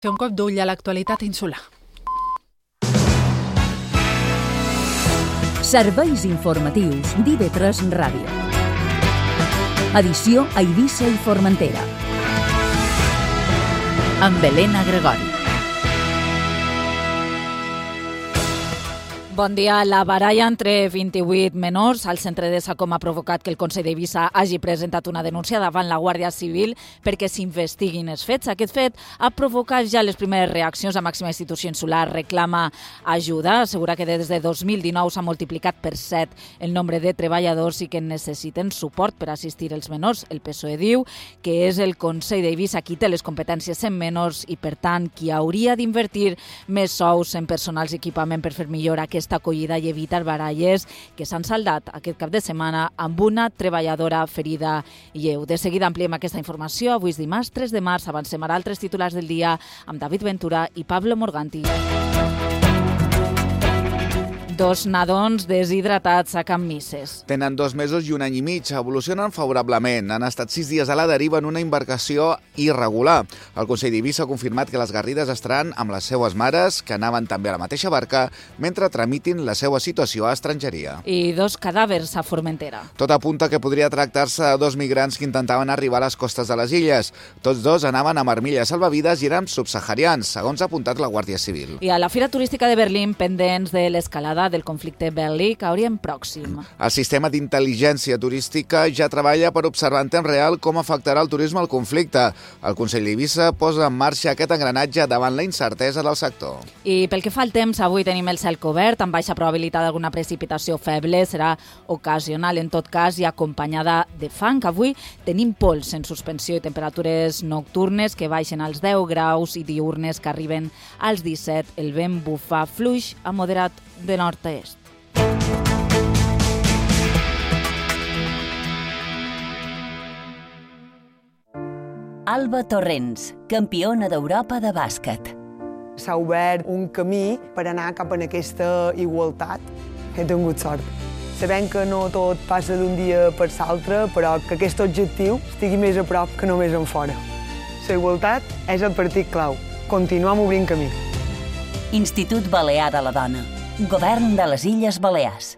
Fer un cop d'ull a l'actualitat insular. Serveis informatius d'IV3 Ràdio. Edició a Eivissa i Formentera. Amb Helena Gregori. Bon dia. La baralla entre 28 menors al centre de Sacoma ha provocat que el Consell d'Eivissa hagi presentat una denúncia davant la Guàrdia Civil perquè s'investiguin els fets. Aquest fet ha provocat ja les primeres reaccions. La màxima institució insular reclama ajuda. Assegura que des de 2019 s'ha multiplicat per 7 el nombre de treballadors i que necessiten suport per assistir els menors. El PSOE diu que és el Consell d'Eivissa qui té les competències en menors i, per tant, qui hauria d'invertir més sous en personals i equipament per fer millor aquesta acollida i evitar baralles que s'han saldat aquest cap de setmana amb una treballadora ferida lleu. De seguida ampliem aquesta informació. Avui és dimarts 3 de març. Avancem ara altres titulars del dia amb David Ventura i Pablo Morganti. 2 nadons deshidratats a Can Misses. Tenen 2 mesos i 1 any i mig. Evolucionen favorablement. Han estat 6 dies a la deriva en una embarcació irregular. El Consell d'Eivissa ha confirmat que les Garrides estaran amb les seues mares, que anaven també a la mateixa barca, mentre tramitin la seva situació a estrangeria. I 2 cadàvers a Formentera. Tot apunta que podria tractar-se de 2 migrants que intentaven arribar a les costes de les illes. Tots 2 anaven amb armilles salvavides i eren subsaharians, segons ha apuntat la Guàrdia Civil. I a la Fira Turística de Berlín, pendents de l'escalada del conflicte bèl·lic a Orient Pròxim. El sistema d'intel·ligència turística ja treballa per observar en temps real com afectarà el turisme al conflicte. El Consell d'Eivissa posa en marxa aquest engranatge davant la incertesa del sector. I pel que fa al temps, avui tenim el cel cobert, amb baixa probabilitat d'alguna precipitació feble, serà ocasional en tot cas i acompanyada de fang. Avui tenim pols en suspensió i temperatures nocturnes que baixen als 10 graus i diurnes que arriben als 17. El vent bufa fluix a moderat de nord a est. Alba Torrents, campiona d'Europa de bàsquet. S'ha obert un camí per anar cap a aquesta igualtat. He tingut sort. Sabem que no tot passa d'un dia per l'altre, però que aquest objectiu estigui més a prop que només en fora. La igualtat és el partit clau. Continuem obrint camí. Institut Balear de la Dona. Govern de les Illes Balears.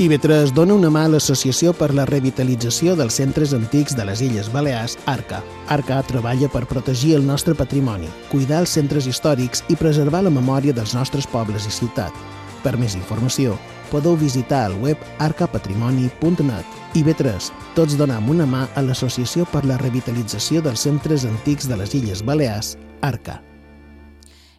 IV3 dona una mà a l'Associació per la Revitalització dels Centres Antics de les Illes Balears, ARCA. ARCA treballa per protegir el nostre patrimoni, cuidar els centres històrics i preservar la memòria dels nostres pobles i ciutats. Per més informació, podeu visitar el web arcapatrimoni.net. IV3, tots donem una mà a l'Associació per la Revitalització dels Centres Antics de les Illes Balears, ARCA.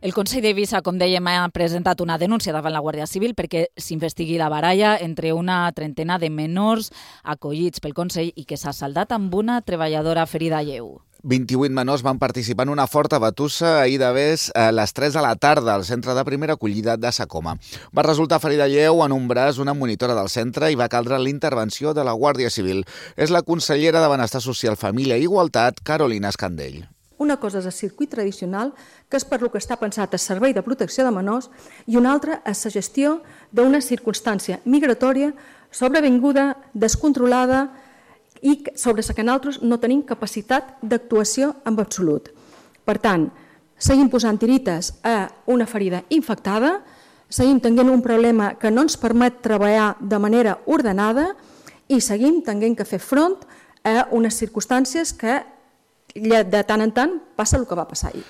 El Consell d'Eivissa, com dèiem, ha presentat una denúncia davant la Guàrdia Civil perquè s'investigui la baralla entre una trentena de menors acollits pel Consell i que s'ha saldat amb una treballadora ferida lleu. 28 menors van participar en una forta batussa ahir de vés a les 3 de la tarda al centre de primera acollida de Sacoma. Va resultar ferida lleu en un braç una monitora del centre i va caldre l'intervenció de la Guàrdia Civil. És la consellera de Benestar Social, Família i Igualtat, Carolina Escandell. Una cosa és el circuit tradicional, que és per lo que està pensat el servei de protecció de menors, i una altra és la gestió d'una circumstància migratòria sobrevinguda, descontrolada i sobre la que nosaltres no tenim capacitat d'actuació en absolut. Per tant, seguim posant tirites a una ferida infectada, seguim tenint un problema que no ens permet treballar de manera ordenada i seguim tenint que fer front a unes circumstàncies que de tant en tant passa el que va passar ahir.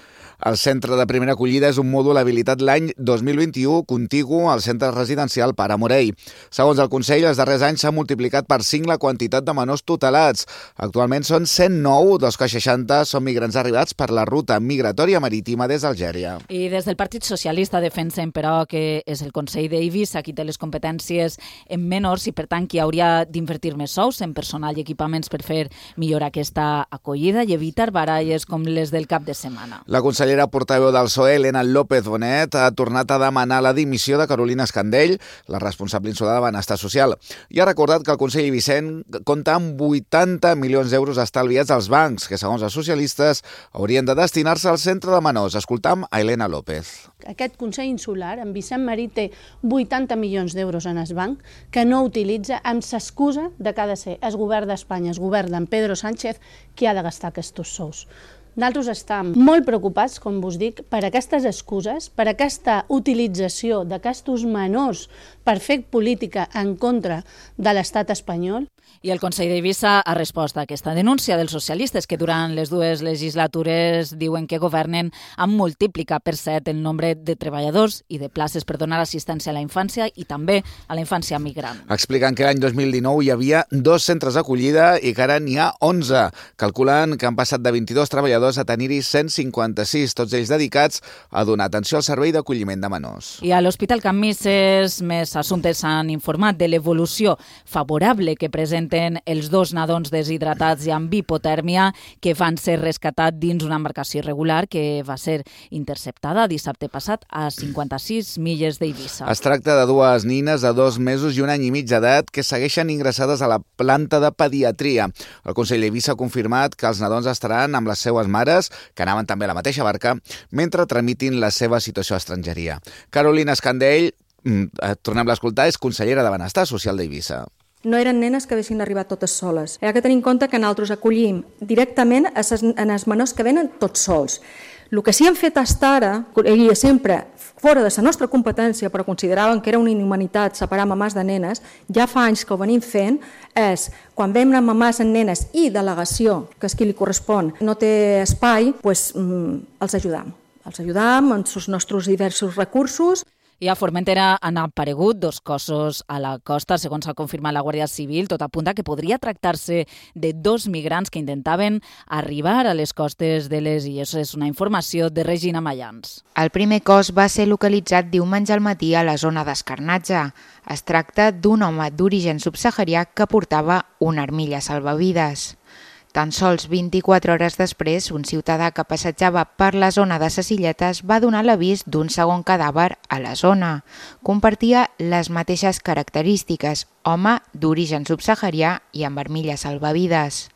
El centre de primera acollida és un mòdul habilitat l'any 2021 contigu al centre residencial Pare Morell. Segons el Consell, els darrers anys s'ha multiplicat per 5 la quantitat de menors tutelats. Actualment són 109, dels que 60 són migrants arribats per la ruta migratòria marítima des d'Algèria. I des del Partit Socialista defensen, però, que és el Consell d'Eivissa qui té les competències en menors i, per tant, qui hauria d'invertir més sous en personal i equipaments per fer millor aquesta acollida i evitar baralles com les del cap de setmana. La consellera portaveu del PSOE, Elena López Bonet, ha tornat a demanar la dimissió de Carolina Escandell, la responsable insular de Benestar Social, i ha recordat que el Consell Eivissent compta amb 80 milions d'euros estalviats als bancs, que, segons els socialistes, haurien de destinar-se al centre de menors. Escoltam a Elena López. Aquest Consell Insular, en Vicent Marí, té 80 milions d'euros en el banc que no utilitza amb l'excusa de que ha de ser el govern d'Espanya, el govern d'en Pedro Sánchez, qui ha de gastar aquests sous. Nosaltres estem molt preocupats, com vos dic, per aquestes excuses, per aquesta utilització d'aquests menors per fer política en contra de l'estat espanyol. I el Consell d'Eivissa ha respost a aquesta denúncia dels socialistes que durant les dues legislatures diuen que governen amb multiplicar per 7 el nombre de treballadors i de places per donar assistència a la infància i també a la infància migrant. Expliquen que l'any 2019 hi havia 2 centres d'acollida i que ara n'hi ha 11. Calculen que han passat de 22 treballadors a tenir-hi 156, tots ells dedicats a donar atenció al servei d'acolliment de menors. I a l'Hospital Can Misses, més assumptes han informat de l'evolució favorable que presenten els 2 nadons deshidratats i amb hipotèrmia que van ser rescatats dins una embarcació irregular que va ser interceptada dissabte passat a 56 milles d'Eivissa. Es tracta de 2 nines de 2 mesos i 1 any i mig d'edat que segueixen ingressades a la planta de pediatria. El Consell d'Eivissa ha confirmat que els nadons estaran amb les seues mares, que anaven també a la mateixa barca, mentre tramitin la seva situació a estrangeria. Carolina Escandell, tornem a escoltar, és consellera de Benestar Social d'Eivissa. No eren nenes que haguessin arribat totes soles. Hi ha que tenir en compte que nosaltres acollim directament els menors que venen tots sols. El que sí hem fet fins ara, i sempre fora de la nostra competència, però consideraven que era una inhumanitat separar mamàs de nenes, ja fa anys que ho venim fent, és quan venen mamàs en nenes i delegació, que és qui li correspon, no té espai, doncs els ajudam. Els ajudam amb els nostres diversos recursos. I a Formentera han aparegut 2 cossos a la costa, segons ha confirmat la Guàrdia Civil. Tot apunta que podria tractar-se de 2 migrants que intentaven arribar a les costes de les illes. És una informació de Regina Mayans. El primer cos va ser localitzat diumenge al matí a la zona d'Escarnatge. Es tracta d'un home d'origen subsaharià que portava una armilla salvavides. Tan sols 24 hores després, un ciutadà que passejava per la zona de ses Illetes va donar l'avís d'un segon cadàver a la zona. Compartia les mateixes característiques, home d'origen subsaharià i amb armilla salvavides.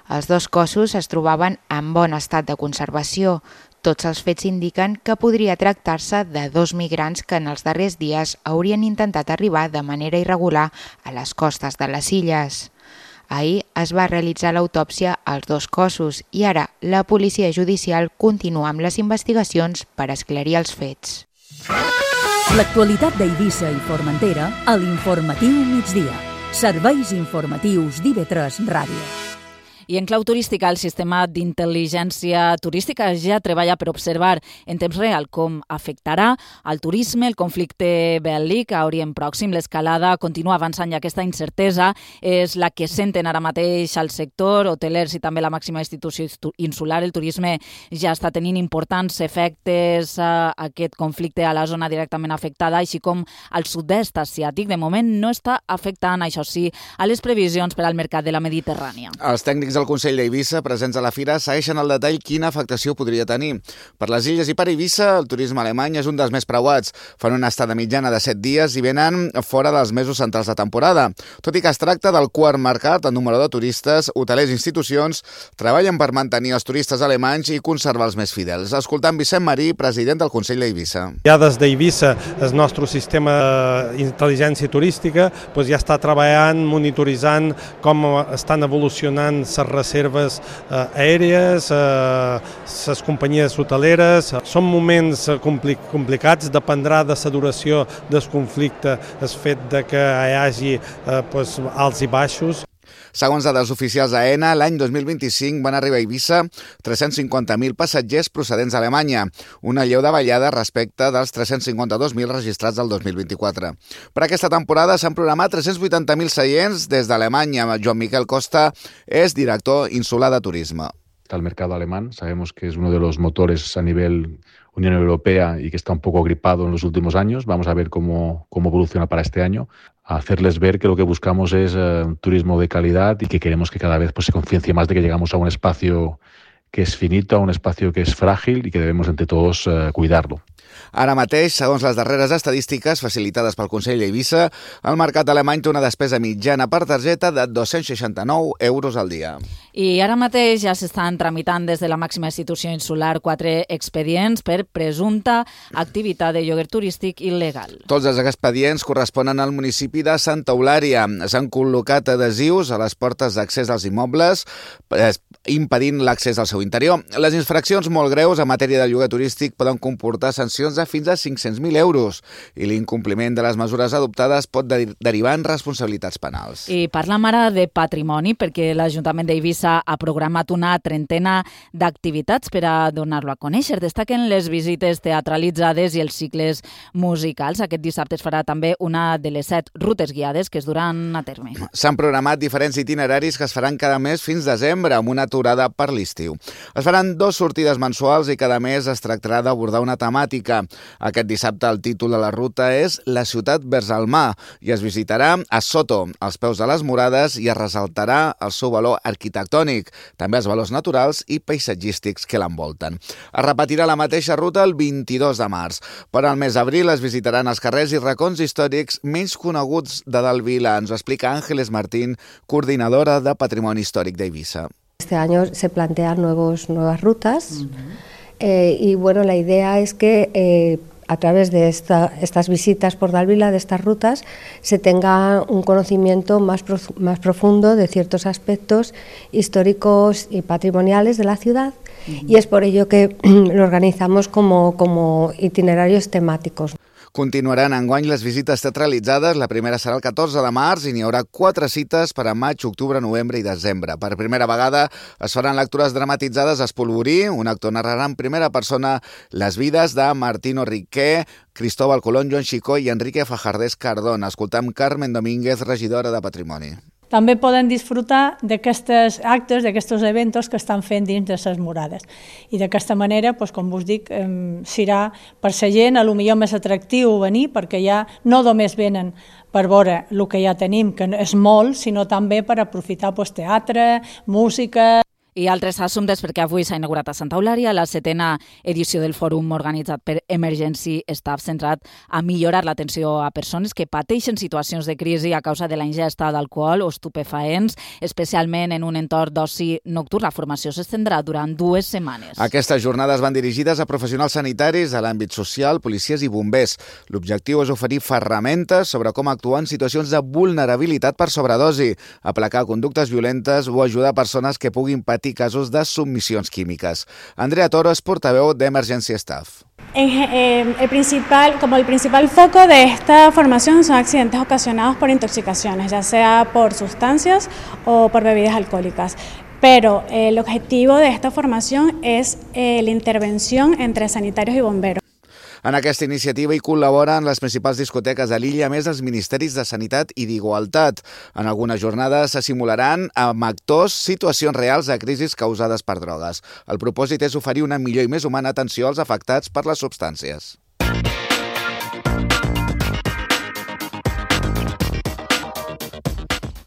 Els 2 cossos es trobaven en bon estat de conservació. Tots els fets indiquen que podria tractar-se de 2 migrants que en els darrers dies haurien intentat arribar de manera irregular a les costes de les illes. Ahir es va realitzar l'autòpsia als 2 cossos i ara la policia judicial continua amb les investigacions per esclarir els fets. L'actualitat d'Eivissa i Formentera a l'Informatiu Migdia. Serveis informatius d'IV3 Ràdio. I en clau turística, el sistema d'intel·ligència turística ja treballa per observar en temps real com afectarà al turisme el conflicte bèl·lic a Orient Pròxim. L'escalada continua avançant i aquesta incertesa és la que senten ara mateix al sector, hotelers i també la màxima institució insular. El turisme ja està tenint importants efectes a aquest conflicte a la zona directament afectada, així com al sud-est asiàtic. De moment no està afectant, això sí, a les previsions per al mercat de la Mediterrània. Els tècnics del Consell d'Eivissa, presents a la fira, segueixen al detall quina afectació podria tenir. Per les illes i per Eivissa, el turisme alemany és un dels més preuats. Fan una estada mitjana de 7 dies i venen fora dels mesos centrals de temporada. Tot i que es tracta del quart mercat en número de turistes, hotelers i institucions treballen per mantenir els turistes alemanys i conservar els més fidels. Escoltant Vicent Marí, president del Consell d'Eivissa. Ja des d'Eivissa, el nostre sistema d'intel·ligència turística ja està treballant, monitoritzant com estan evolucionant les reserves aèries, les companyies hoteleres. Són moments complicats, dependrà de la duració del conflicte, el fet que hi hagi alts i baixos. Segons dades oficials d'AENA, l'any 2025 van arribar a Eivissa 350.000 passatgers procedents d'Alemanya, una lleu davallada respecte dels 352.000 registrats del 2024. Per aquesta temporada s'han programat 380.000 seients des d'Alemanya. Joan Miquel Costa és director insular de turisme. El mercado alemán, sabemos que es uno de los motores a nivel Unión Europea y que está un poco gripado en los últimos años. Vamos a ver cómo evoluciona para este año. Hacerles ver que lo que buscamos es turismo de calidad y que queremos que cada vez se conciencie más de que llegamos a un espacio que es finito, a un espacio que es frágil y que debemos entre todos cuidarlo. Ara mateix, segons les darreres estadístiques facilitades pel Consell d'Eivissa, el mercat alemany té una despesa mitjana per targeta de 269 euros al dia. I ara mateix ja s'estan tramitant des de la màxima institució insular 4 expedients per presumpta activitat de lloguer turístic il·legal. Tots els expedients corresponen al municipi de Santa Eulària. S'han col·locat adhesius a les portes d'accés als immobles, impedint l'accés al seu interior. Les infraccions molt greus en matèria de lloguer turístic poden comportar sancions de fins a 500.000 euros i l'incompliment de les mesures adoptades pot derivar en responsabilitats penals. I parlam ara de patrimoni, perquè l'Ajuntament d'Eivissa ha programat una trentena d'activitats per a donar-lo a conèixer. Destaquen les visites teatralitzades i els cicles musicals. Aquest dissabte es farà també una de les 7 rutes guiades que es duran a terme. S'han programat diferents itineraris que es faran cada mes fins desembre, amb una aturada per l'estiu. Es faran 2 sortides mensuals i cada mes es tractarà d'abordar una temàtica. Aquest dissabte el títol de la ruta és La ciutat vers el mar i es visitarà a Soto, als peus de les murades, i es ressaltarà el seu valor arquitectònic, també els valors naturals i paisatgístics que l'envolten. Es repetirà la mateixa ruta el 22 de març. Per al mes d'abril es visitaran els carrers i racons històrics menys coneguts de Dalt Vila. Ens ho explica Ángeles Martín, coordinadora de Patrimoni Històric d'Eivissa. Este año se plantean nuevas rutas y bueno, la idea es que a través de estas visitas por Dalt Vila, de estas rutas, se tenga un conocimiento más profundo de ciertos aspectos históricos y patrimoniales de la ciudad y es por ello que lo organizamos como itinerarios temáticos. Continuaran enguany les visites teatralitzades. La primera serà el 14 de març i n'hi haurà 4 cites per a maig, octubre, novembre i desembre. Per primera vegada es faran lectures dramatitzades a Espolvorí. Un actor narrarà en primera persona les vides de Martino Riquer, Cristóbal Colón, Joan Xicó i Enrique Fajardés Cardón. Escoltam Carmen Domínguez, regidora de Patrimoni. També poden disfrutar d'aquests actes, d'aquests eventos que estan fent dins de les murades. I d'aquesta manera, com us dic, serà per la gent potser més atractiu venir, perquè ja no només venen per veure el que ja tenim, que és molt, sinó també per aprofitar teatre, música... I altres assumptes, perquè avui s'ha inaugurat a Santa Eulària la 7a edició del fòrum organitzat per Emergency Staff, centrat a millorar l'atenció a persones que pateixen situacions de crisi a causa de la ingesta d'alcohol o estupefaents, especialment en un entorn d'oci nocturn. La formació s'estendrà durant 2 setmanes. Aquestes jornades van dirigides a professionals sanitaris, a l'àmbit social, policies i bombers. L'objectiu és oferir ferramentes sobre com actuar en situacions de vulnerabilitat per sobredosi, aplacar conductes violentes o ajudar persones que puguin patir casos de submissions químiques. Andrea Toro es portaveu d'Emergency Staff. El principal foco de esta formación son accidentes ocasionados por intoxicaciones, ya sea por sustancias o por bebidas alcohólicas. Pero el objetivo de esta formación es la intervención entre sanitarios y bomberos. En aquesta iniciativa hi col·laboren les principals discoteques de l'illa, més els ministeris de Sanitat i d'Igualtat. En algunes jornades se simularan amb actors situacions reals de crisis causades per drogues. El propòsit és oferir una millor i més humana atenció als afectats per les substàncies.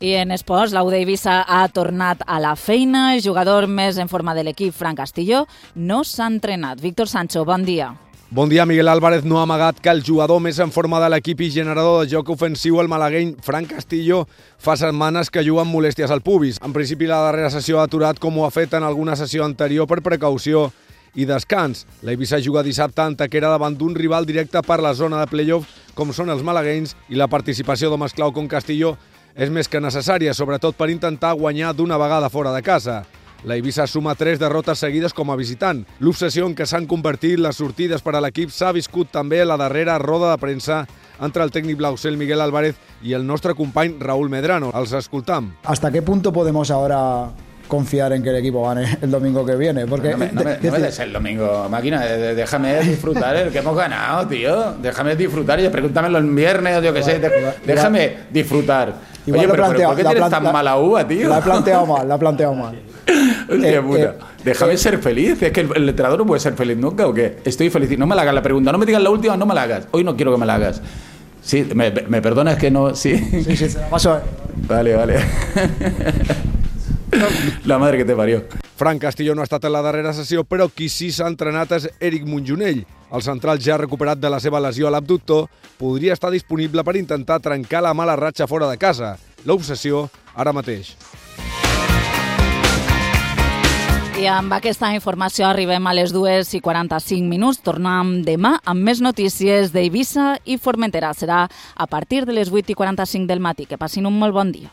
I en esports, l'U d'Eivissa ha tornat a la feina. El jugador més en forma de l'equip, Fran Castillo, no s'ha entrenat. Víctor Sancho, bon dia. Bon dia. Miguel Álvarez no ha amagat que el jugador més en forma de l'equip i generador de joc ofensiu, el malagueny Fran Castillo, fa setmanes que juga amb molèsties al pubis. En principi, la darrera sessió ha aturat, com ho ha fet en alguna sessió anterior, per precaució i descans. L'Eivissa juga dissabte a Antequera davant d'un rival directe per la zona de play-off, com són els malaguenys, i la participació d'homes clau com Castillo és més que necessària, sobretot per intentar guanyar d'una vegada fora de casa. L'Eivissa suma 3 derrotes seguides com a visitant. L'obsessió en què s'han convertit les sortides per a l'equip s'ha viscut també la darrera roda de premsa entre el tècnic blaucel Miguel Álvarez i el nostre company Raúl Medrano. Els escoltam. ¿Hasta qué punto podemos ahora confiar en que el equipo gane el domingo que viene? Porque no me des el domingo, máquina, déjame disfrutar el que hemos ganado, tío. Déjame disfrutar, y pregúntamelo el viernes o yo qué sé. Déjame disfrutar. Oye, pero ¿por qué tienes tan mala uva, tío? La he planteado mal. Hostia puta. Déjame ser feliz. Es que el entrenador no puede ser feliz nunca, ¿o qué? Estoy feliz. No me la hagas la pregunta. No me digas la última, no me la hagas. Hoy no quiero que me la hagas. Sí, me perdonas que no... Sí, se la paso. Vale. La madre que te parió. Fran Castillo no ha estat en la darrera sessió, però qui sí s'ha entrenat és Eric Monjonell. El central ja recuperat de la seva lesió a l'abductor podria estar disponible per intentar trencar la mala ratxa fora de casa. L'obsessió ara mateix. I amb aquesta informació arribem a les 2:45. Tornem demà amb més notícies d'Eivissa i Formentera. Serà a partir de les 8:45 del matí. Que passin un molt bon dia.